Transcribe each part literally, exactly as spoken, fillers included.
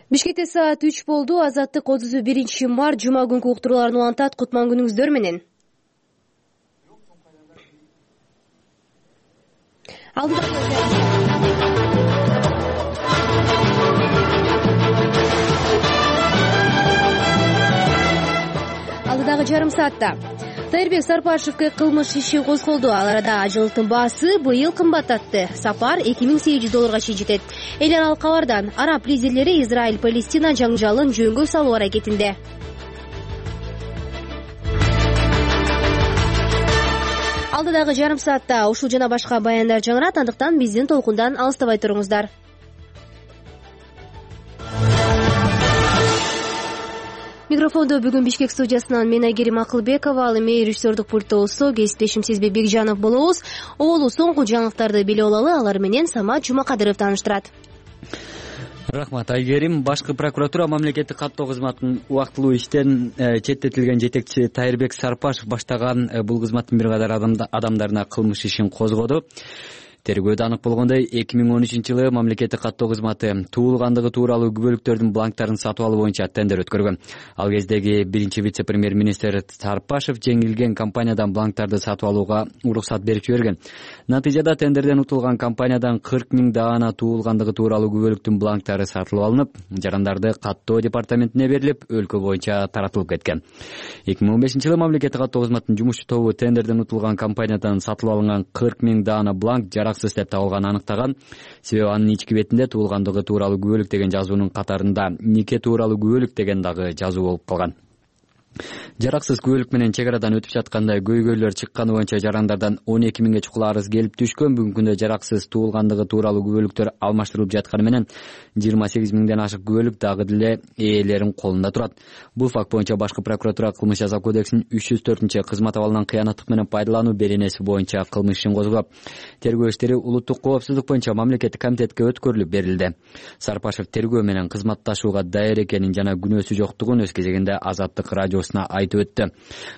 Бишкекте саат үч болду. Азаттык отуз биринчи март жума күнкү уктурууларын улантат. Кутман күнүңүздөр менен. Алдыдагы жарым саатта Тайырбек Сарпашевке кылмыш иши козголду. Ал арада ажылдыктын баасы быйыл кымбаттатты. Сапар эки миң сегиз жүз долларга чейин жетет. Эл аралык кабардан араб лидерлери Израиль-Палестина жаңжалын жөнгө салуу аракетинде. Алдыдагы жарым саатта ушул жана башка баяндар жаңырат, андыктан биздин толкундан алыстабай туруңуздар. Микрофондо бүгүн Бишкек студиясынан мен Айгерим Акылбекова, ал эми режиссердук пультта болсо кесиптешим Сезбек Бекжанов болобуз. Оолу соңку жаңылыктарды билип алалы, алар менен Самат Жумакадыров тааныштырат. Рахмат Айгерим. Башкы прокуратура мамлекеттик каттоо кызматынын убактылуу иштен четтетилген жетекчи Тайырбек Сарпашев баштаган бул кызматтын бир катар адамдарына кылмыш ишин козгоду. Тергөөдө анык болгондой, эки миң он үчүнчү жылы мамлекеттик каттоо кызматы туулгандыгы тууралуу күбөлүктөрдүн бланктарын сатып алуу боюнча тендер өткөргөн. Ал кездеги биринчи вице-премьер-министр Сарпашев жеңилген компаниядан бланктарды сатып алууга уруксат берип жиберген. Натыйжада тендерден утулган компаниядан кырк миң даана туулгандыгы тууралуу күбөлүктүн бланктары сатылып алынып, жарандарды каттоо департаментине берилип, өлкө боюнча таратылып кеткен. эки миң он бешинчи жылы мамлекеттик каттоо кызматынын жумушчу тобу тендерден утулган компаниядан сатылып алынган кырк миң даана бланк жараксыз деп табылганын анықтаган. Себеби анын ички бетинде туулгандыгы тууралуу күбөлүк деген жазуунун катарында нике тууралуу күбөлүк деген дагы жазуу болуп калган. Жараксыз күбөлүк менен чек арадан өтүп жатканда көйгөйлөр чыкканы боюнча жарандардан он эки миңге чукул арыз келип түшкөн. Бүгүнкү күндө жараксыз туулгандыгы тууралуу күбөлүктөр алмаштырылып жатканы менен жыйырма сегиз миңден ашык күбөлүк дагы деле ээлеринин колунда турат. Бул факт боюнча башкы прокуратура кылмыш жаза кодексинин үч жүз төртүнчү кызмат абалынан кыянаттык менен пайдалануу беренеси боюнча кылмыш ишин козгоп, тергөө иштери улуттук коопсуздук боюнча мамлекеттик комитетке өткөрүлүп берилди. Сарпашев тергөө менен кызматташууга даяр экенин жана күнөөсү жоктугун өз кезегинде Азаттык радиосуна айтып өттү.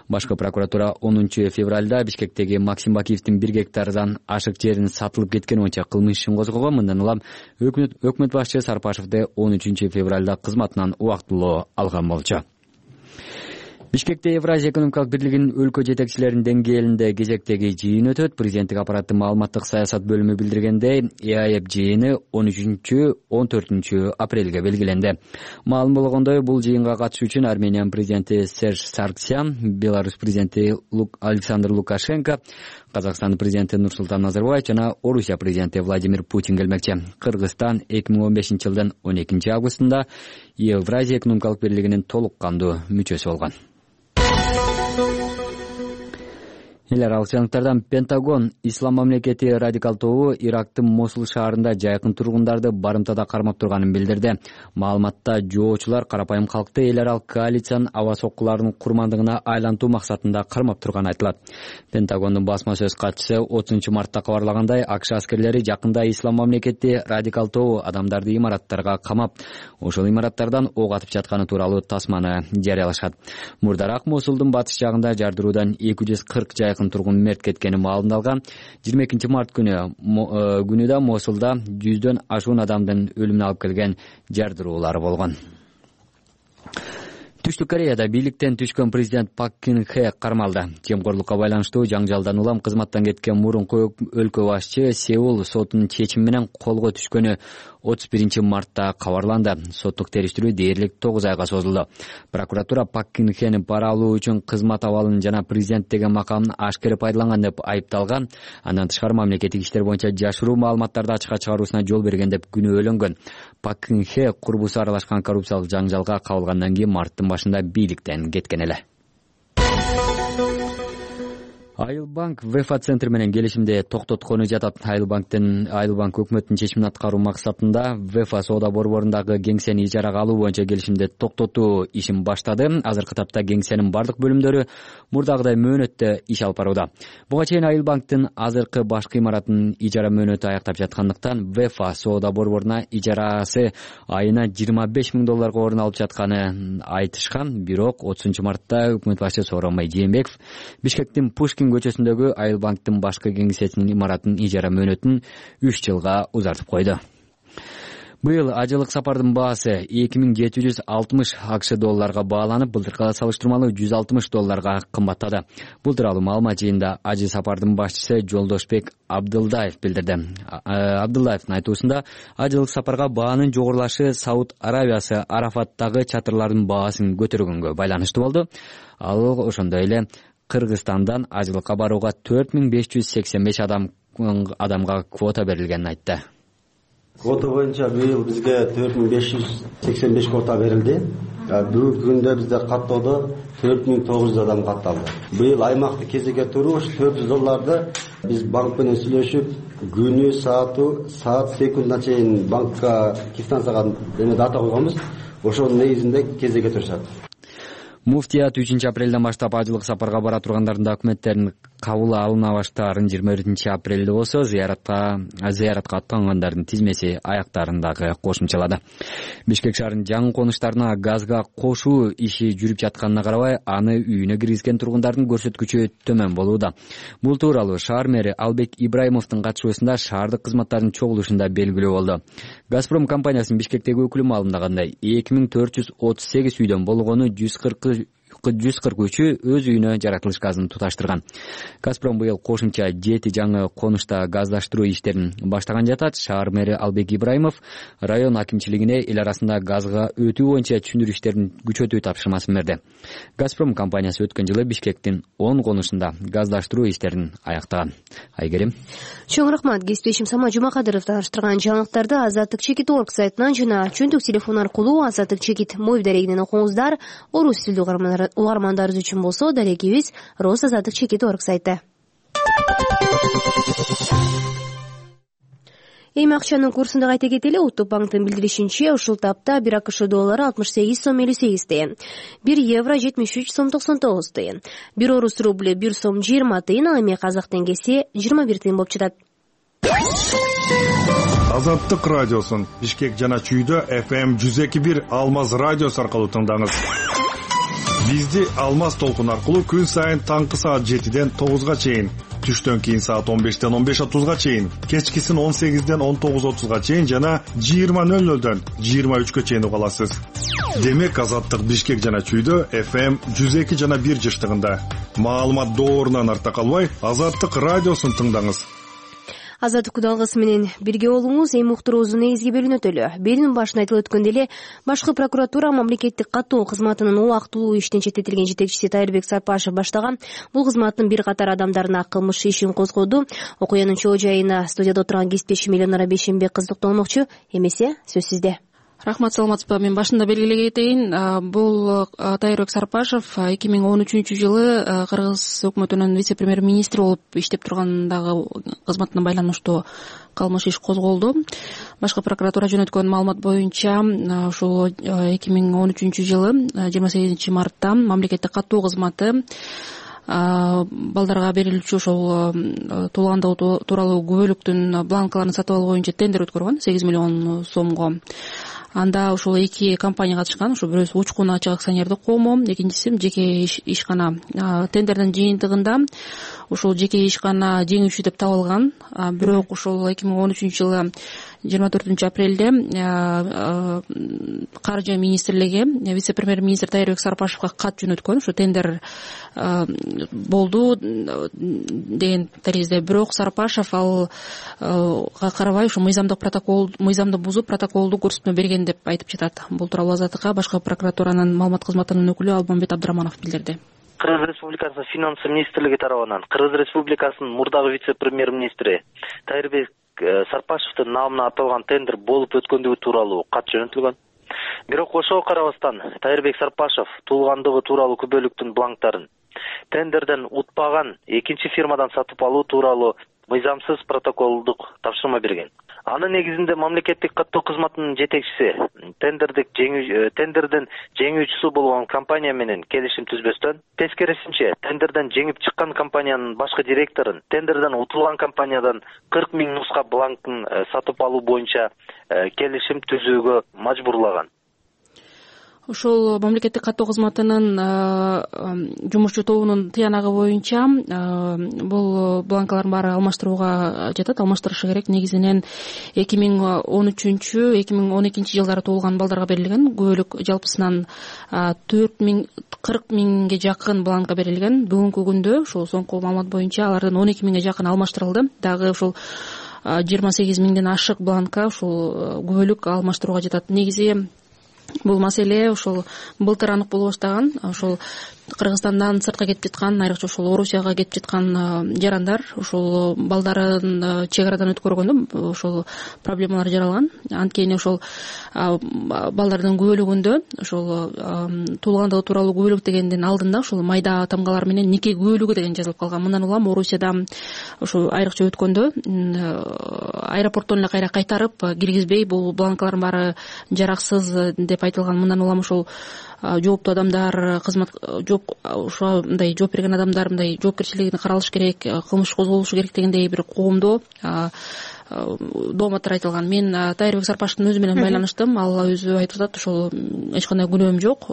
Башкы прокуратура онунчу февралда Бишкектеги Максим Бакиевдин бир гектардан ашык жерин сатылып кеткени боюнча кылмыш ишин козгогон. Мындан улам өкмөт башчы Сарпашевди он үчүнчү февралда кызматынан убактылуу алган болчу. Бишкекте Евразия экономикалык бирлигинин өлкө жетекчилеринин деңгээлинде кезектеги жыйын өтөт. Президенттик аппараттын маалыматтык саясат бөлүмү билдиргендей, ЭАЭП жыйыны он үчүнчү он төртүнчү апрелге белгиленди. Маалым болгондой, бул жыйынга катышуу үчүн Армениянын президенти Серж Саргсян, Беларусь президенти Александр Лукашенко, Казакстандын президенти Нурсултан Назарбаев жана Орусия президенти Владимир Путин келмекчи. Кыргызстан эки миң он бешинчи жылдын он экинчи августунда Евразия экономикалык бирлигинин толук кандуу мүчөсү болгон. Эл аралык жаңылыктардан Пентагон Ислам мамлекети радикал тобу Ирактын Мосул шаарында жайкын тургундарды барымтада кармап турганын билдирди. Маалыматта жоочулар карапайым калкты эл аралык коалициянын аба соккуларынын курмандыгына айлантуу максатында кармап турганы айтылат. Пентагондун басма сөз катчысы отузунчу мартта кабарлагандай, АКШ аскерлери жакында Ислам мамлекети радикал тобу адамдарды имараттарга камап, ошол имараттардан ок атып жатканы тууралуу тасманы жарыялашат. Мурдараак Мосулдун батыш жагында жардыруудан эки жүз кырк жайкын тургун мерт кеткени маалымдалган. жыйырма экинчи март күнү күнү да Мосулда жүздөн ашуун адамдын өлүмүнө алып келген жардыруулар болгон. Түштүк Кореяда бийликтен түшкөн президент Пак Кын Хэ кармалды. Жемкорлукка байланыштуу жаңжалдан улам кызматтан кеткен мурунку өлкө башчы Сеул сотунун чечими менен колго түшкөнү отуз биринчи мартта кабарланды. Соттук териштирүү дээрлик тогуз айга созулду. Прокуратура Пак Кын Хэни пара алуу үчүн кызмат абалын жана президент деген макамын ашкере пайдаланган деп айыпталган. Андан тышкары мамлекеттик иштер боюнча жашыруу маалыматтарды ачыкка чыгаруусуна жол берген деп күнөөлөнгөн. Пак Кын Хэ курбусу аралашкан коррупциялык жаңжалга кабылгандан кийин марттын башында бийликтен кеткен эле. Айылбанк Вефа центр менен келишимде токтоткону жатат. Айылбанктын Айылбанк өкмөттүн чечимин аткаруу максатында Вефа соода борборундагы кеңсени ижарага алуу боюнча келишимде токтотуу ишин баштады. Азыркы тапта кеңсенин бардык бөлүмдөрү мурдагыдай мөөнөттө иш алып барууда. Буга чейин Айылбанктын азыркы башкы имаратынын ижара мөөнөтү аяктап жаткандыктан Вефа соода борборуна ижарасы айына жыйырма беш миң долларга орун алып жатканын айтышкан. Бирок отузунчу мартта өкмөт башчысы Сооронбай Жээнбеков Бишкектин Пушкин көчөсүндөгү Айылбанктын башкы кеңсесинин имаратынын ижара мөөнөтүн үч жылга узартып койду. Быйыл ажылык сапардын баасы эки миң жети жүз алтымыш акш долларга бааланып, былтыркыга салыштырмалуу жүз алтымыш долларга кымбаттады. Бул тууралуу маалымат жыйында ажы сапардын башчысы Жолдошбек Абдылдаев билдирди. Абдылдаевдин айтуусунда, ажылык сапарга баанын жогорулашы Сауд Аравиясы Арафаттагы чатырлардын баасын көтөргөнгө байланыштуу болду. Ал ошондой эле Кыргызстандан ажылыкка барууга төрт миң беш жүз сексен беш адам адамга квота берилгенин айтты. Квота боюнча быйыл бизге төрт миң беш жүз сексен беш квота берилди. Бүгүнкү күндө бизде каттоодо төрт миң тогуз жүз адам катталды. Быйыл аймакты кезекке туруу төрт жүз долларды биз банк менен сүйлөшүп, күнү, саату, саат, секундына чейин банкка квитанцияга эме дата койгонбуз. Ошонун негизинде кезекке турушат. Муфтият үчүнчү апрелден баштап ажылык сапарга бара тургандардын документтерин кабыл алына баштаарын жыйырма биринчи апрелде болсо, зыяратка зыяратка аттангандардын тизмеси аяктарындагы кошумчалады. Бишкек шаарынын жаңы конуштарына газга кошуу иши жүрүп жатканына карабай, аны үйүнө киргизген тургундардын көрсөткүчү төмөн болууда. Бул тууралуу шаар мэри Албек Ибраимовдун катышуусунда шаардык кызматтардын чогулушунда белгилүү болду. Газпром компаниясынын Бишкектеги өкүлү маалымдагандай, эки миң төрт жүз отуз сегиз үйдөн болгону жүз кырк жүз кырк үчү өз үйүнө жаратылыш газын туташтырган. Газпром быйыл кошумча жети жаңы конушта газдаштыруу иштерин баштаган жатат. Шаар мэри Албек Ибраимов район акимчилигине эл арасында газга өтүү боюнча түшүндүрүү иштерин күчөтүү тапшырмасын берди. Газпром компаниясы өткөн жылы Бишкектин он конушунда газдаштыруу иштерин аяктаган. Айгерим. Чоң рахмат. Кесиптешим Сама Жумакадыров таныштырган жаңылыктарды Азаттык чекит точка орг сайтынан жана чөйдүк телефон аркылуу Азаттык чекит мобил дарегинен окуңуздар. Орус тилдүү угармандарыбыз үчүн болсо, дарегибиз Роз Азаттык чекит точка орг сайты. Эми акчанын курсун да кайта кетели. Улуттук банктын билдиришинче, ушул тапта бир акш доллары алтымыш сегиз сом элүү сегиз тыйын, бир евро жетимиш үч сом токсон тогуз тыйын, бир орус рубль бир сом жыйырма тыйын, ал эми казак теңгеси жыйырма бир тыйын болуп жатат. Азаттык радиосун Бишкек жана Чүйдө эф эм жүз эки бир Алмаз радиосу аркылуу тыңдаңыз. Бизди Алмаз толкун аркылуу күн сайын таңкы саат жетиден тогузга чейин, түштөн кийин саат он бештен он беш отузга чейин, кечкисин он сегизден он тогуз отузга чейин жана жыйырма нөл нөлдөн жыйырма үчкө чейин уга аласыз. Демек Азаттык Бишкек жана Чүйдө эф эм жүз эки жана бир жыштыгында. Маалымат доорунан арта калбай, Азаттык радиосун тыңдаңыз. Азаттык кудалгысы менен бирге болуңуз. Эми уктуруубуздун негизги бөлүгүнө өтөлү. Берүүнүн башында айтылып өткөндөй эле, башкы прокуратура мамлекеттик каттоо кызматынын убактылуу иштен четтетилген жетекчиси Тайырбек Сарпашев баштаган бул кызматтын бир катар адамдарына кылмыш ишин козгоду. Окуянын чоо жайына студияда отурган кесиптешим Эленора Бейшенбек кызыкталмакчы. Эмесе, сөз сизде. Рахмат, саламатсызбы. Мен башында белгилей кетейин, бул Тайырбек Сарпашев эки миң он үчүнчү жылы Кыргыз өкмөтүнүн вице-премьер-министри болуп иштеп тургандагы кызматына байланыштуу кылмыш иш козголду. Башкы прокуратура жөнөткөн маалымат боюнча, ушул эки миң он үчүнчү жылы жыйырма сегизинчи мартта мамлекеттик каттоо кызматы балдарга берилүүчү ошол туулгандоо тууралуу күбөлүктүн бланкаларын сатып алуу боюнча тендер өткөргөн сегиз миллион сомго. Анда ушул эки компания катышкан. Ошо бирөөсү Учкун ачык акционердик коому, экинчиси жеке ишкана. Тендердин жыйынтыгында ушул жеке ишкана жеңүүчү деп табылган. Бирок ушул эки миң он үчүнчү жылы жыйырма төртүнчү апрелде каржы министрлиги вице-премьер-министр Тайырбек Сарпашевга кат жөнөткөн. Ушу тендер болду деген таризде. Бирок Сарпашев алга карабай ушу мыйзамдык протокол, мыйзамды бузуп протоколду көрсөтмө берген деп айтып жатат. Бул тууралуу Азаттыкка башкы прокуратуранын маалымат кызматынын өкүлү Албанбет Абдыраманов билдирди. Кыргыз Республикасынын финансы министрлиги тарабынан Кыргыз Республикасынын мурдагы вице-премьер-министри Тайырбек Сарпашевдин намына аталган тендер болуп өткөндүгү тууралуу кат жөнөтүлгөн. Бирок ошого карабастан Тайырбек Сарпашев туулгандыгы тууралуу күбөлүктүн бланктарын тендерден утпаган экинчи фирмадан сатып алуу тууралуу мыйзамсыз протоколдук тапшырма берген. Анын негизинде мамлекеттик каттоо кызматынын жетекчиси тендердик жеңүү тендерден жеңүүчүсү болгон компания менен келишим түзбөстөн, тескерисинче тендерден жеңип чыккан компаниянын башкы директорун тендерден утулган компаниядан кырк миң нуска бланкын сатып алуу боюнча келишим түзүүгө мажбурлаган. ошол мамлекеттик каттоо кызматынын жумушчу тобунун тыянагы боюнча бул бланкалардын баары алмаштырууга жатат, алмаштырышы керек. Негизинен эки миң он үчүнчү эки миң он экинчи жылдары туулган балдарга берилген. Күбөлүк жалпысынан төрт миң кырк миңге жакын бланка берилген. Бүгүнкү күндө ушул соңку маалымат боюнча алардын он эки миңге жакын алмаштырылды. Дагы ушул жыйырма сегиз миңден ашык бланка ушул күбөлүк алмаштырууга жатат. Негизи бул маселе ошол былтыр анык боло баштаган. Ошол Кыргызстандан сыртка кетип жаткан, айрыкча ошол Орусияга кетип жаткан жарандар ошол балдарын чек арадан өткөргөндө ошол проблемалар жаралган. Анткени ошол балдардын күбөлүгүндө ошол туулгандыгы тууралуу күбөлүк дегендин алдында ошол майда тамгалар менен нике күбөлүгү деген жазылып калган. Мындан улам Орусияда ошол айрыкча өткөндө аэропорттон эле кайра кайтарып киргизбей, бул бланкалардын баары жараксыз деп айтылган. Мындан улам ошол жооптуу адамдар, кызмат жооп ошо мындай жооп берген адамдар мындай жоопкерчилигин каралыш керек, кылмыш козголушу керек дегендей бир коомдо дооматтар айтылган. Мен Тайырбек Сарпашевдин өзү менен байланыштым. Ал өзү айтып атат, ошол эч кандай күнөөм жок.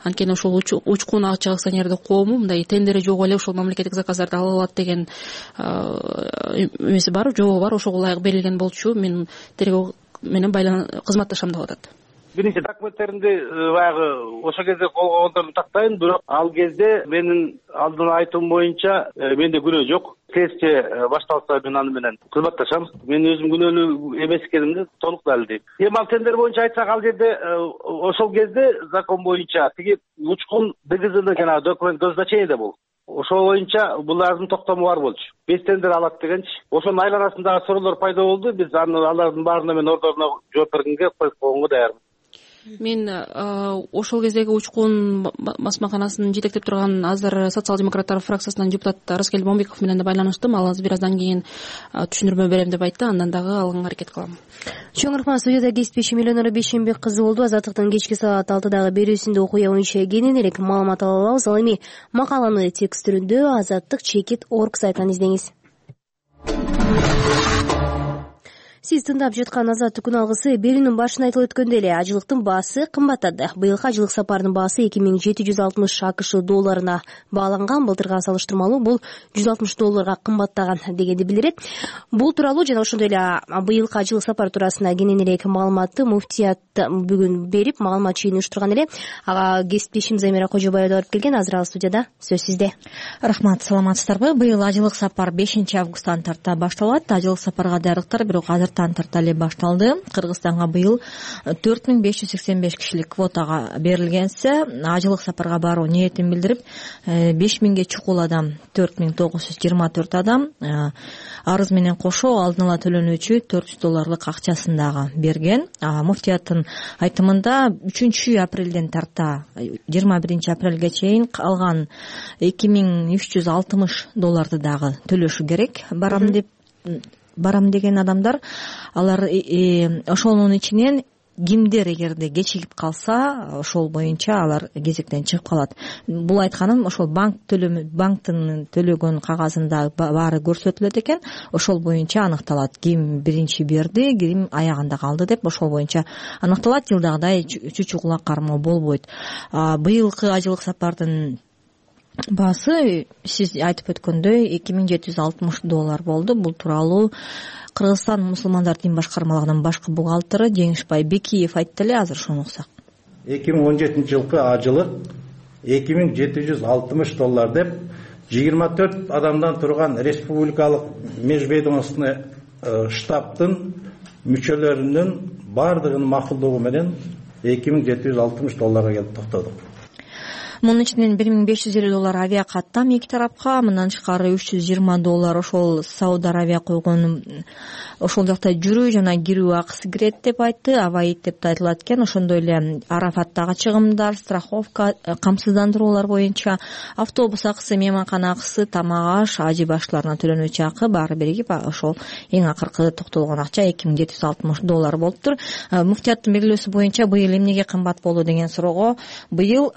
Анткени ошол учкун ачык акционердик коому мындай тендери жок эле ошол мамлекеттик заказдарды ала алат деген эмеси бар, жообу бар. Ошого ылайык берилген болчу. Мен тергөө менен кызматташам деп атат. Биринчи документтеримди баягы ошол кезде колго алгандарды тактайын, бирок ал кезде менин алдын айтуум боюнча менде күнөө жок. Следствие башталса мен аны менен кызматташам. Мен өзүм күнөөлүү эмес экенимди толук далилдейм. Эми ал тендер боюнча айтсак, ал жерде ошол кезде закон боюнча тиги учкун дгзны жанагы документ назначение бул. Ошол боюнча булардын токтому бар болчу. Беш тендер алат дегенчи. Ошонун айланасындагы суроолор пайда болду. Биз аны алардын баарына мен ордоруна жооп бергенге коюп койгонго даярмын. Мен ошол кездеги учкун басмаканасынын жетектеп турган азыр социал-демократтар фракциясынан депутат Раскел Момбеков менен да байланыштым. Ал азыр бир аздан кийин түшүндүрмө берем деп айтты. Андан дагы алганга аракет кылам. Чоң рахмат. Студияда кесипбеши Миллионер Бейшенбек кызы болду. Азаттыктын кечки саат алтыдагы берүүсүндө окуя боюнча кененирээк маалымат ала алабыз. Ал эми макаланы текст түрүндө азаттык чекит точка орг сайтынан издеңиз. Сиз тыңдап жаткан Азаттык күн алгысы берүүнүн башында айтылып өткөндөй эле ажылыктын баасы кымбаттады. Быйылкы ажылык сапарынын баасы эки миң жети жүз алтымыш акш долларына бааланган. Былтырга салыштырмалуу бул жүз алтымыш долларга кымбаттаган дегенди билдирет. Бул тууралуу жана ошондой эле быйылкы ажылык сапар туурасында кененирээк маалыматты муфтият бүгүн берип, маалымат чыйын уюштурган эле. Ага кесиптешим Замира Кожобаева барып келген. Азыр ал студияда. Сөз сизде. Рахмат, саламатсыздарбы? Быйыл ажылык сапар бешинчи августтан тарта башталат. Ажылык сапарга даярдыктар бирок азыр тарта эле башталды. Кыргызстанга быйыл төрт миң беш жүз сексен беш кишилик квотага берилгенсе, ажылык сапарга баруу ниетин билдирип, беш миңге чукул адам, төрт миң тогуз жүз жыйырма төрт адам арыз менен кошо алдын ала төлөнүүчү төрт жүз долларлык акчасын дагы берген. Муфтияттын айтымында үчүнчү апрелден тарта жыйырма биринчи апрелге чейин калган эки миң үч жүз алтымыш долларды дагы төлөшү керек. Барам деп барам деген адамдар, алар ошонун ичинен кимдер эгерде кечигип калса, ошол боюнча алар кезектен чыгып калат. Бул айтканым ошол банк төлөмү, банктын төлөгөн кагазында баары көрсөтүлөт экен. Ошол боюнча аныкталат. Ким биринчи берди, ким аягында калды деп ошол боюнча аныкталат. Жылдагыдай чучугула кармоо болбойт. Быйылкы ажылык сапардын баасы сиз айтып өткөндөй эки миң жети жүз алтымыш доллар болду. Бул тууралуу Кыргызстан мусулмандар дин башкармалыгынын башкы бухгалтеры Жеңишбай Бекиев айтты эле. Азыр ошону уксак. эки миң он жетинчи жылкы ажылык эки миң жети жүз алтымыш доллар деп жыйырма төрт адамдан турган республикалык межведомственный штабтын мүчөлөрүнүн баардыгынын макулдугу менен эки миң жети жүз алтымыш долларга келип токтодук. Мунун ичинен бир миң беш жүз элүү доллар авиа каттам эки тарапка, мындан тышкары үч жүз жыйырма доллар ошол Сауд Арабия койгон ошол жакта жүрүү жана кирүү акысы кирет деп айтты. Аваид деп да айтылат экен. Ошондой эле Арафаттагы чыгымдар, страховка, камсыздандыруулар боюнча автобус акысы, мейманкана акысы, тамак аш, ажы баштыларына төлөнүүчү акы баары биригип ошол эң акыркы токтолгон акча эки миң жети жүз алтымыш доллар болуптур. Муфтияттын белгилөөсү боюнча быйыл эмнеге кымбат болду деген суроого, быйыл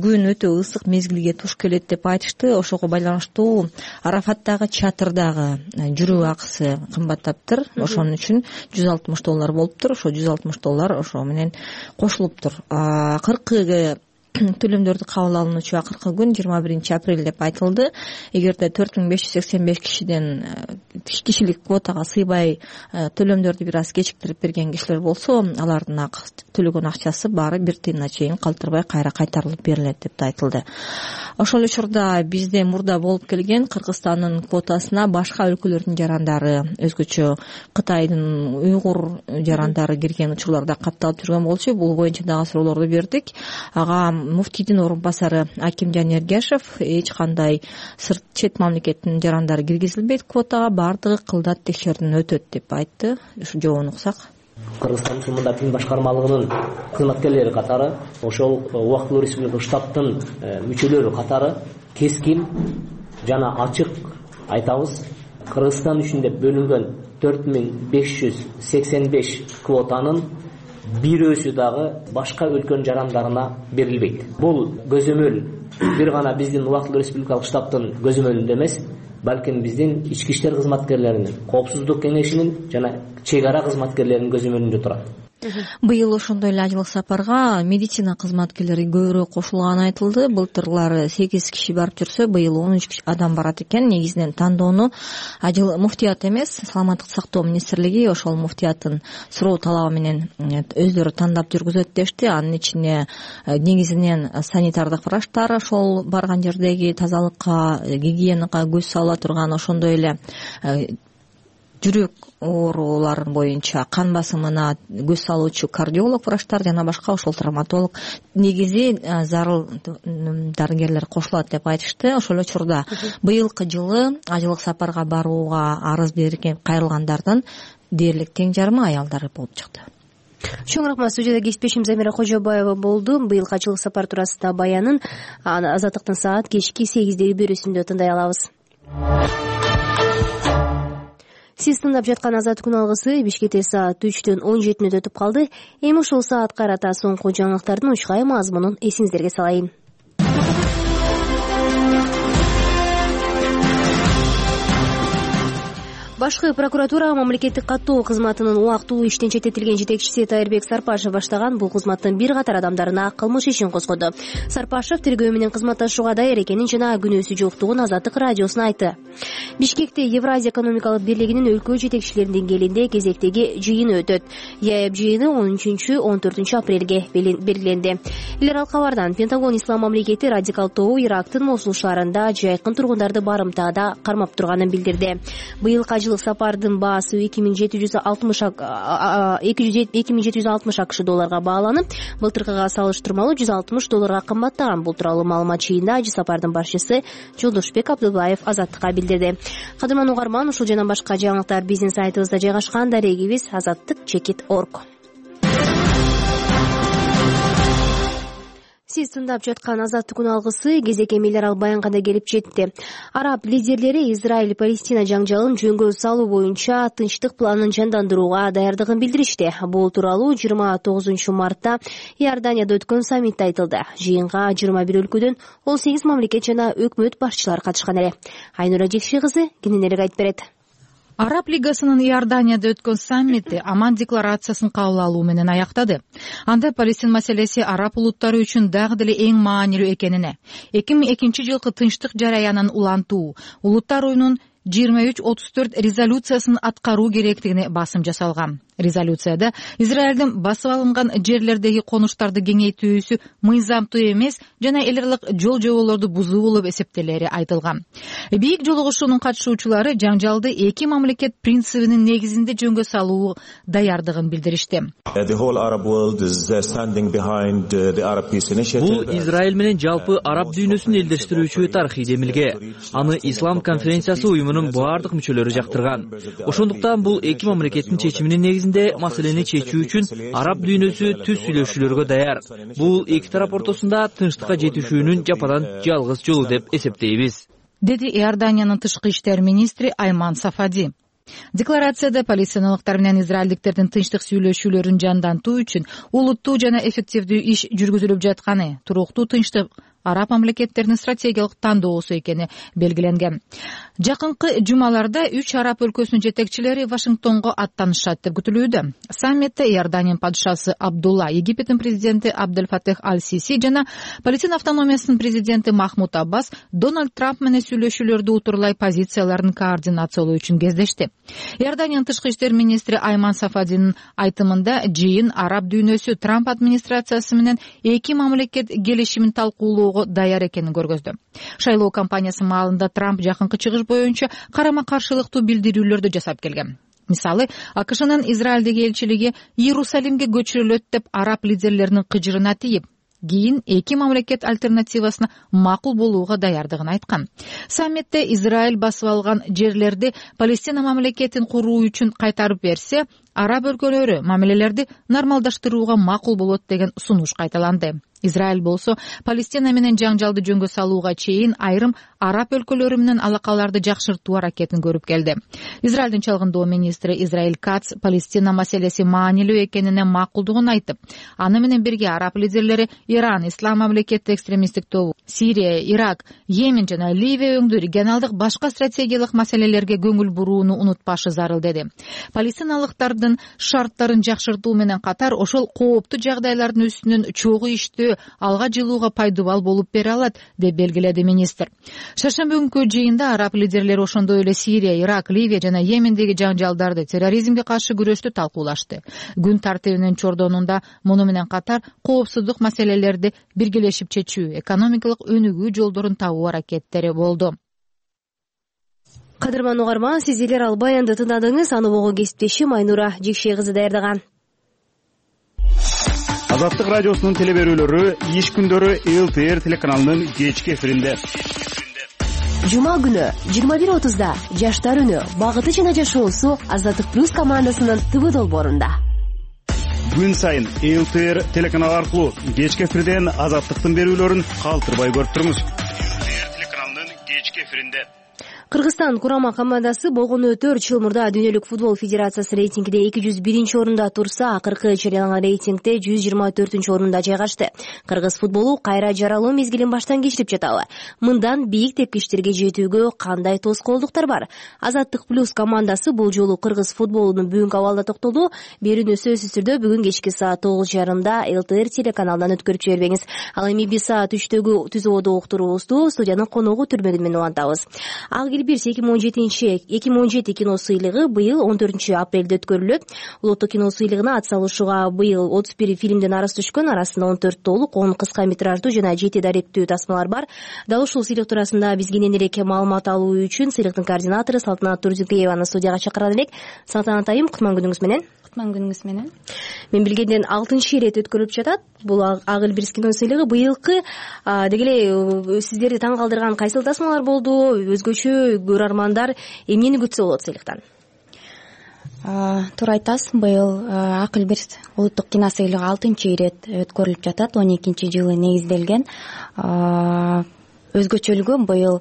күн өтө ысык мезгилге туш келет деп айтышты. Ошого байланыштуу Арафаттагы чатырдагы жүрүү акысы кымбаттаптыр. Ошон үчүн жүз алтымыш доллар болуптур. Ошо жүз алтымыш доллар ошо менен кошулуптур. Акыркы төлөмдөрдү кабыл алынуучу акыркы күн жыйырма биринчи апрель деп айтылды. Эгерде төрт миң беш жүз сексен беш кишиден кишилик квотага сыйбай төлөмдөрдү бир аз кечиктирип берген кишилер болсо, алардын төлөгөн акчасы баары бир тыйына чейин калтырбай кайра кайтарылып берилет деп айтылды. Ошол учурда бизде мурда болуп келген Кыргызстандын квотасына башка өлкөлөрдүн жарандары, өзгөчө Кытайдын уйгур жарандары кирген учурларда катталып жүргөн болчу. Бул боюнча дагы суроолорду бердик. Ага муфтийдин орун басары Акимжан Эргешев эч кандай сырт чет мамлекеттин жарандары киргизилбейт квотага, баардыгы кылдат текшерүүдөн өтөт деп айтты. Ушу жообун уксак. Кыргызстан мусулмандар дин башкармалыгынын кызматкерлери катары, ошол убактылуу республикалык штабтын мүчөлөрү катары кескин жана ачык айтабыз. Кыргызстан үчүн деп бөлүнгөн төрт миң беш жүз сексен беш квотанын бирөөсү дагы башка өлкөнүн жарандарына берилбейт. Бул көзөмөл бир гана биздин убактылуу республикалык штабтын көзөмөлүндө эмес, балким биздин ички иштер кызматкерлеринин, коопсуздук кеңешинин жана чек ара кызматкерлеринин көзөмөлүндө турат. Быйыл ошондой эле ажылык сапарга медицина кызматкерлери көбүрөөк кошулганы айтылды. Былтырылары сегиз киши барып жүрсө, быйыл он үч адам барат экен. Негизинен тандоону ажыл муфтият эмес, саламаттык сактоо министрлиги ошол муфтияттын суроо талабы менен өздөрү тандап жүргүзөт дешти. Анын ичине негизинен санитардык врачтар, ошол барган жердеги тазалыкка, гигиенага көз сала турган, ошондой эле жүрөк оорулары боюнча кан басымына көз салуучу кардиолог врачтар жана башка ошол травматолог, негизи зарыл дарыгерлер кошулат деп айтышты. Ошол учурда быйылкы жылы ажылык сапарга барууга арыз берген кайрылгандардын дээрлик тең жарымы аялдар болуп чыкты. Чоң рахмат. Студияда кесиптешим Замира Кожобаева болду. Быйылкы ажылык сапар туурасында баянын Азаттыктын саат кечки сегиздеги берүүсүндө тыңдай алабыз. Сиз тыңдап жаткан Азат күн алгысы Бишкекте саат үчтөн он жети мүнөт өтүп калды. Эми ушул саат карата соңку жаңылыктардын учкай мазмунун эсиңиздерге салайын. Башкы прокуратура мамлекеттик каттоо кызматынын убактылуу иштен четтетилген жетекчиси Тайырбек Сарпашев баштаган бул кызматтын бир катар адамдарына кылмыш ишин козгоду. Сарпашев тергөө менен кызматташууга даяр экенин жана күнөөсү жоктугун Азаттык радиосуна айтты. Бишкекте Евразия экономикалык бирлигинин өлкө жетекчилеринин деңгээлинде кезектеги жыйыны өтөт. ЯЭБ жыйыны он үчүнчү он төртүнчү апрелге белгиленди. Эл аралык кабардан Пентагон ислам мамлекети радикал тобу Ирактын Мосул шаарында жайкын тургундарды барымтада кармап турганын билдирди. Быйылкы ажылык сапардын баасы эки миң жети жүз алтымыш акш долларга бааланып, былтыркыга салыштырмалуу жүз алтымыш долларга кымбаттаган. Бул тууралуу маалымат чыйында ажы сапардын башчысы Жолдошбек Абдулбаев Азаттыкка билдирди. Кадырман угарман, ушул жана башка жаңылыктар биздин сайтыбызда жайгашкан. Дарегибиз азаттык чекит точка орг. Сиз тыңдап жаткан Азаттык күн алгысы кезеке эл аралык баянга да келип жетти. Араб лидерлери Израиль-Палестина жаңжалын жөнгө салуу боюнча тынчтык планын жандандырууга даярдыгын билдиришти. Бул тууралуу жыйырма тогузунчу мартта Иорданияда өткөн саммитте айтылды. Жыйынга жыйырма бир өлкөдөн он сегиз мамлекет жана өкмөт башчылары катышкан эле. Айнура Жекши кызы кененирээк айтып берет. Араб лигасынын Иорданияда өткөн саммити Аман декларациясын кабыл алуу менен аяктады. Анда Палестин маселеси араб улуттары үчүн дагы деле эң маанилүү экенине, эки миң экинчи жылкы тынчтык жараянын улантуу, улуттар оюнун жыйырма үч отуз төрт резолюциясын аткаруу керектигине басым жасалган. Резолюцияда Израилдин басып алынган жерлердеги конуштарды кеңейтүүсү мыйзамдуу эмес жана эл аралык жол жоболорду бузуу болуп эсептелери айтылган. Бийик жолугушуунун катышуучулары жаңжалды эки мамлекет принцибинин негизинде жөнгө салуу даярдыгын билдиришти. Бул Израиль менен жалпы араб дүйнөсүн элдештирүүчү тарыхый демилге. Аны Ислам конференциясы уюмунун баардык мүчөлөрү жактырган. Ошондуктан бул эки мамлекеттин чечиминин негизинде маселени чечүү үчүн араб дүйнөсү түз сүйлөшүүлөргө даяр. Бул эки тарап ортосунда тынчтыкка жетишүүнүн жападан жалгыз жолу деп эсептейбиз, деди Иорданиянын тышкы иштер министри Айман Сафади. Декларацияда палестиналыктар менен израилдиктердин тынчтык сүйлөшүүлөрүн жандантуу үчүн улуттуу жана эффективдүү иш жүргүзүлүп жатканы, туруктуу тынчтык араб мамлекеттеринин стратегиялык тандоосу экени белгиленген. Жакынкы жумаларда үч араб өлкөсүнүн жетекчилери Вашингтонго аттанышат деп күтүлүүдө. Саммитте Иорданиянын падышасы Абдулла, Египеттин президенти Абдель Фатех Аль-Сиси жана Палестина автономиясынын президенти Махмуд Аббас Дональд Трамп менен сүйлөшүүлөрдү утурлай позицияларын координациялоо үчүн кездешти. Иорданиянын тышкы иштер министри Айман Сафадинин айтымында жыйын араб дүйнөсү Трамп администрациясы менен эки мамлекет келишимин талкуулоого даяр экенин көргөздү. Шайлоо кампаниясы маалында Трамп жакынкы чыгыш боюнча карама-каршылыктуу билдирүүлөрдү жасап келген. Мисалы, АКШнын Израилдеги элчилиги Иерусалимге көчүрүлөт деп араб лидерлеринин кыжырына тийип, кийин эки мамлекет альтернативасына макул болууга даярдыгын айткан. Саммитте Израиль басып алган жерлерди Палестина мамлекетин куруу үчүн кайтарып берсе, араб өлкөлөрү мамилелерди нормалдаштырууга макул болот деген сунуш кайталанды. Израиль болсо Палестина менен жаңжалды жөнгө салууга чейин айрым араб өлкөлөрү менен алакаларды жакшыртуу аракетин көрүп келди. Израилдин чалгындоо министри Израиль Кац Палестина маселеси маанилүү экенине макулдугун айтып, аны менен бирге араб лидерлери Иран, Ислам мамлекети экстремисттик тобу, Сирия, Ирак, Йемен жана Ливия өңдүү регионалдык башка стратегиялык маселелерге көңүл бурууну унутпашы зарыл деди. Палестиналыктардын шарттарын жакшыртуу менен катар ошол кооптуу жагдайлардын үстүнөн чогуу иштөө алга жылууга пайдубал болуп бере алат деп белгиледи министр. Шаршемби күнкү жыйында араб лидерлери ошондой эле Сирия, Ирак, Ливия жана Йемендеги жаңжалдарды, терроризмге каршы күрөштү талкуулашты. Күн тартибинин чордонунда муну менен катар коопсуздук маселелерди биргелешип чечүү, экономикалык өнүгүү жолдорун табуу аракеттери болду. Кадырман угарман, сиздер ал баянды тыңдадыңыз. Аны бого кесиптешим Айнура Жекше кызы даярдаган. Азаттык радиосунун телеберүүлөрү иш күндөрү эл тэ эр телеканалынын кечки эфиринде. Жума күнү жыйырма бир отузда Жаштар үнү багыты жана жашоосу Азаттык плюс командасынын тэ вэ долбоорунда. Күн сайын эл тэ эр телеканалы аркылуу кечки эфирден азаттыктын берүүлөрүн калтырбай көрүп туруңуз. эл тэ эр телеканалынын кечки эфиринде. Кыргызстан курама командасы болгону төрт жыл мурда Дүйнөлүк футбол федерациясы рейтингиде эки жүз биринчи орунда турса, акыркы жарыяланган рейтингде жүз жыйырма төртүнчү орунда жайгашты. Кыргыз футболу кайра жаралуу мезгилин баштан кечирип жатабы? Мындан бийик тепкичтерге жетүүгө кандай тоскоолдуктар бар? Азаттык плюс командасы бул жолу кыргыз футболунун бүгүнкү абалына токтолду. Берүүнү сөзсүз түрдө бүгүн кечки саат тогуз жарымда эл тэ эр телеканалынан өткөрүп жибербеңиз. Ал эми биз саат үчтөгү түзөөдө уктуруубузду студиянын коногу Түрмөгүн менен улантабыз. Бирс эки миң он жетинчи эки миң он жети кино сыйлыгы быйыл он төртүнчү апрелде өткөрүлөт. Улуттук кино сыйлыгына атсалышууга быйыл отуз бир фильмден арыз түшкөн, арасында он төрт толук, он кыска метраждуу жана жети даректүү тасмалар бар. Дал ушул сыйлык туурасында биз кенен элек маалымат алуу үчүн сыйлыктын координатору Салтанат Турдукееваны студияга чакырат элек. Салтанат айым, кутман күнүңүз менен. Кутман күнүңүз менен. Мен билгенден алтынчы ирет өткөрүлүп жатат. Бул Ак Элбирс кино сыйлыгы быйылкы деги эле сиздерди таң калтырган кайсыл тасмалар болду? Өзгөчө көрөрмандар эмнени күтсө болот сыйлыктан? Туура айтасыз, быйыл Ак Элбирс улуттук кино сыйлыгы алтынчы ирет өткөрүлүп жатат. он экинчи жылы негизделген. Өзгөчөлүгү быйыл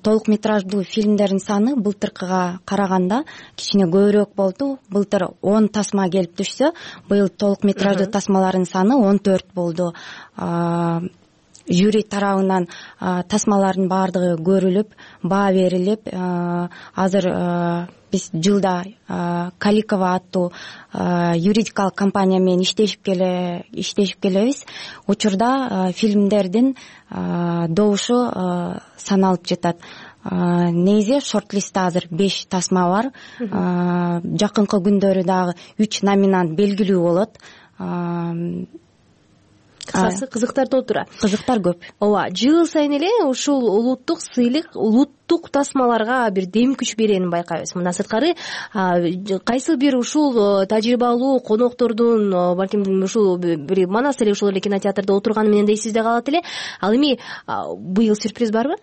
толук метраждуу фильмдердин саны былтыркыга караганда кичине көбүрөөк болду. Былтыр он тасма келип түшсө, быйыл толук метраждуу тасмалардын саны он төрт болду. Жюри тарабынан тасмалардын баардыгы көрүлүп, баа берилип, азыр биз жылда Каликова аттуу юридикалык компания менен иштешип келе иштешип келебиз. Учурда фильмдердин добушу саналып жатат. Негизи шорт-листте азыр беш тасма бар. Жакынкы күндөрү дагы үч номинант белгилүү болот. Кысасы кызыктар толтура. Кызыктар көп. Ооба, жыл сайын эле ушул улуттук сыйлык улуттук тасмаларга бир дем күч беренин байкайбыз. Мындан сырткары кайсыл бир ушул тажрыйбалуу коноктордун, балким ушул бир манас эле ушул эле кинотеатрда отурганы менен да эсибизде калат эле. Ал эми быйыл сюрприз барбы?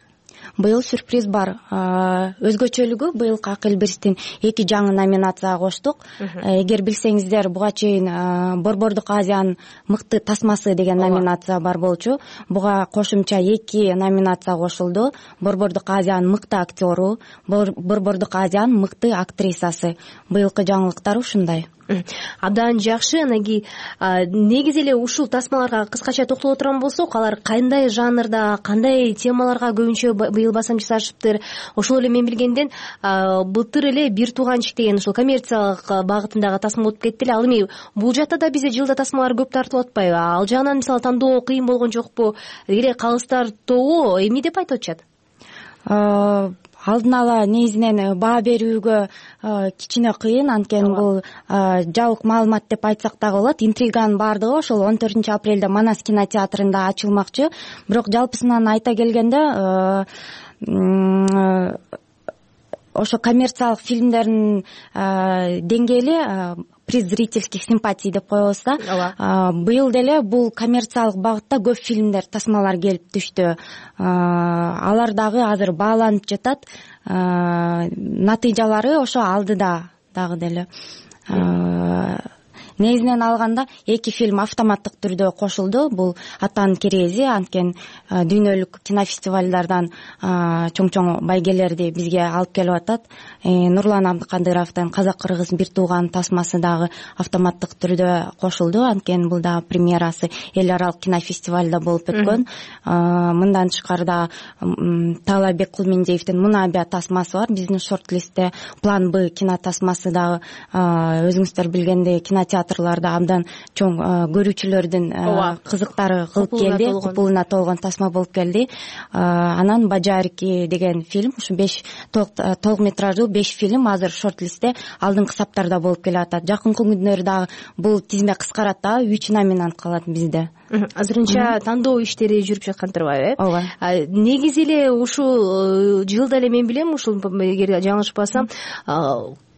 Быйыл сюрприз бар. Өзгөчөлүгү быйыл Ак Элбирстин эки жаңы номинацияга коштук. Эгер билсеңиздер, буга чейин Борбордук Азиянын мыкты тасмасы деген номинация бар болчу. Буга кошумча эки номинация кошулду. Борбордук Азиянын мыкты актеру, Борбордук Азиянын мыкты актрисасы. Быйылкы жаңылыктар ушундай. Абдан жакшы. Анан кийин негизи эле ушул тасмаларга кыскача токтоло турган болсок, алар кандай жанрда, кандай темаларга көбүнчө быйыл басым жасашыптыр? Ошол эле мен билгенден былтыр эле Бир тууганчик деген ушул коммерциялык багытындагы тасма өтүп кетти эле. Ал эми бул жакта да бизде жылда тасмалар көп тартылып атпайбы? Ал жагынан мисалы тандоо кыйын болгон жокпу? Эле калыстар тобу эмне деп айтып атышат? Алдын ала негизинен баа берүүгө кичине кыйын, анткени бул жабык маалымат деп айтсак дагы болот. Интриганын баардыгы ошол он төртүнчү апрелде Манас кинотеатрында ачылмакчы. Бирок жалпысынан айта келгенде ошо коммерциялык фильмдердин деңгээли приз зрительских симпатий деп коебуз да. Быйыл деле бул коммерциялык багытта көп фильмдер, тасмалар келип түштү. Алар дагы азыр бааланып жатат. Натыйжалары ошо алдыда дагы деле. Негизинен алганда эки фильм автоматтык түрдө кошулду. Бул Атанын керези, анткени дүйнөлүк кинофестивалдардан чоң-чоң байгелерди бизге алып келип атат. Нурлан Абдыкадыровдун Казак-кыргыз бир тууган тасмасы дагы автоматтык түрдө кошулду, анткени бул дагы премьерасы эл аралык кинофестивалда болуп өткөн. Мындан тышкары да Таалай Беккулмендиевдин Мунабия тасмасы бар биздин шорт-листте. План Б кинотасмасы дагы өзүңүздөр билгендей кинотеатр абдан чоң көрүүчүлөрдүн кызыктары кылып келди, купулуна толгон тасма болуп келди. Анан Бажарики деген фильм, ушу беш толук метраждуу беш фильм азыр шорт-листте алдыңкы саптарда болуп келе атат. Жакынкы күндөрү дагы бул тизме кыскарат да, үч номинант калат бизде. Азырынча тандоо иштери жүрүп жаткан турбайбы? Ооба. Негизи эле ушул жылда эле мен билем, ушул эгер жаңылышпасам,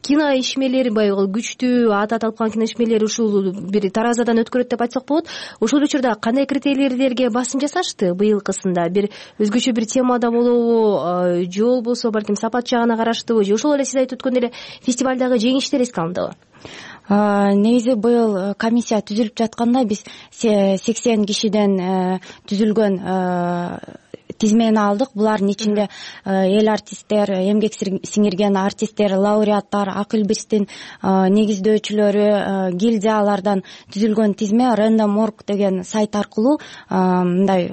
кино ишмерлери баягы күчтүү атат алып калган кино ишмерлери ушул бир таразадан өткөрөт деп айтсак болот. Ошол учурда кандай критерийлерге басым жасашты быйылкысында? Бир өзгөчө бир темада болобу, же болбосо балким сапат жагына караштыбы, же ошол эле сиз айтып өткөндөй эле фестивалдагы жеңиштер эске алындыбы? Негизи быйыл комиссия түзүлүп жатканда биз сексен кишиден түзүлгөн тизмени алдык. Булардын ичинде эл артисттер, эмгек сиңирген артисттер, лауреаттар, Акыл Бирстин негиздөөчүлөрү, гильдиялардан түзүлгөн тизме Random точка org деген сайт аркылуу мындай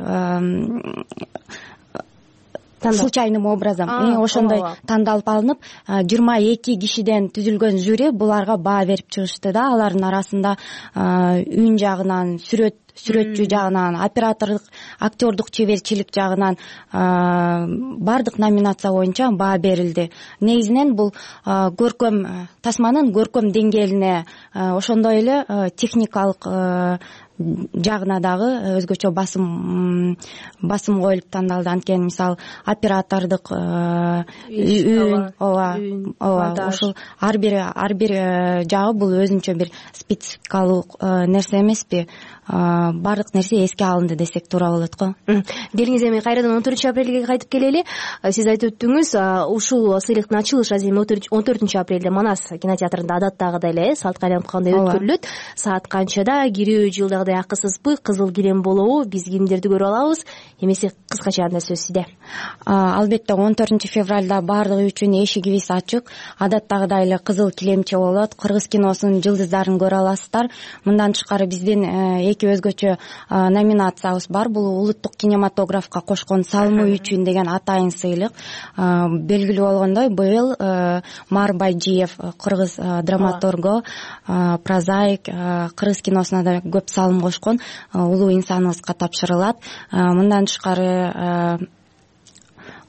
случайным образом ошондой тандалып алынып, жыйырма эки кишиден түзүлгөн жюри буларга баа берип чыгышты да. Алардын арасында үн жагынан, сүрөт сүрөтчү жагынан, оператордук, актёрдук чеберчилик жагынан баардык номинация боюнча баа берилди. Негизинен бул көркөм тасманын көркөм деңгээлине, ошондой эле техникалык жагына дагы өзгөчө басым басым коюлуп тандалды. Анткени мисалы оператордук үн, ооба, ооба, ушул ар бир ар бир жагы бул өзүнчө бир спецификалуу нерсе эмеспи? Баардык нерсе эске алынды десек туура болот го. Делиңиз эми кайрадан он төртүнчү апрелге кайтып келели. Сиз айтып өттүңүз, ушул сыйлыктын ачылыш азыр он төртүнчү апрелде Манас кинотеатрында адаттагыдай эле саатка айланып калгандай өткөрүлөт. Саат канчада? Кирүү жылдагыдай акысызбы? Кызыл килем болобу? Биз кимдерди көрүп алабыз? Эмесе кыскача анда сөз сизде. Албетте он төртүнчү февралда баардыгы үчүн эшигибиз ачык. Адаттагыдай эле кызыл килемче болот. Кыргыз киносунун жылдыздарын көрө аласыздар. Мындан тышкары биздин эки өзгөчө номинациябыз бар. Бул улуттук кинематографка кошкон салымы үчүн деген атайын сыйлык. Белгилүү болгондой, быйыл Мар Байжиев, кыргыз драматургу, прозаик, кыргыз киносуна да көп салым кошкон улуу инсаныбызга тапшырылат. Мындан тышкары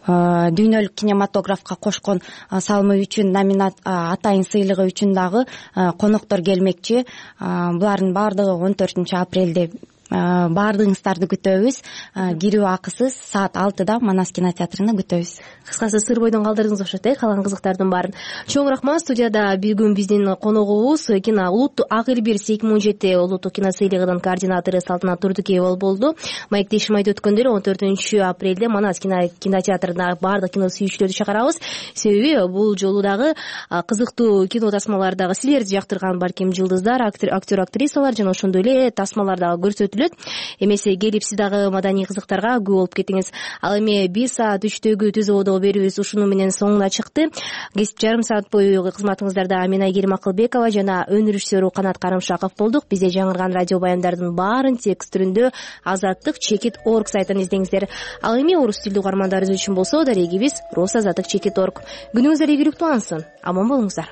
дүйнөлүк кинематографка кошкон салымы үчүн номинат атайын сыйлыгы үчүн дагы коноктор келмекчи. Булардын баардыгы он төртүнчү апрелде баардыгыңыздарды күтөбүз. Кирүү акысыз, саат алтыда Манас кинотеатрында күтөбүз. Кыскасы сыр бойдон калдырдыңыз окшойт э, калган кызыктардын баарын. Чоң рахмат. Студияда бүгүн биздин коногубуз кино улуттук Акыл Бирс эки миң он жети улуттук кино сыйлыгынын координатору Салтанат Турдукеева болду. Маектешим айтып өткөндөй эле он төртүнчү апрелде Манас кинотеатрына баардык кино сүйүүчүлөрдү чакырабыз. Себеби бул жолу дагы кызыктуу кино тасмалар дагы силерди жактырган балким жылдыздар, актер актрисалар жана ошондой эле тасмалар дагы көрсөтүлөт. өткөрүлөт. Эмесе келип сиз дагы маданий кызыктарга күбө болуп кетиңиз. Ал эми бир саат үчтөгү түз абадагы берүүбүз ушуну менен соңуна чыкты. Жарым саат бою кызматыңыздарда мен Айгерим Акылбекова жана өнөр режиссеру Канат Карымшаков болдук. Бизде жаңырган радио баяндардын баарын текст түрүндө азаттык чекит орг сайтын издеңиздер. Ал эми орус тилдүү угармандарыбыз үчүн болсо дарегибиз рус азаттык чекит орг. Күнүңүздөр ийгиликтүү алсын. Аман болуңуздар.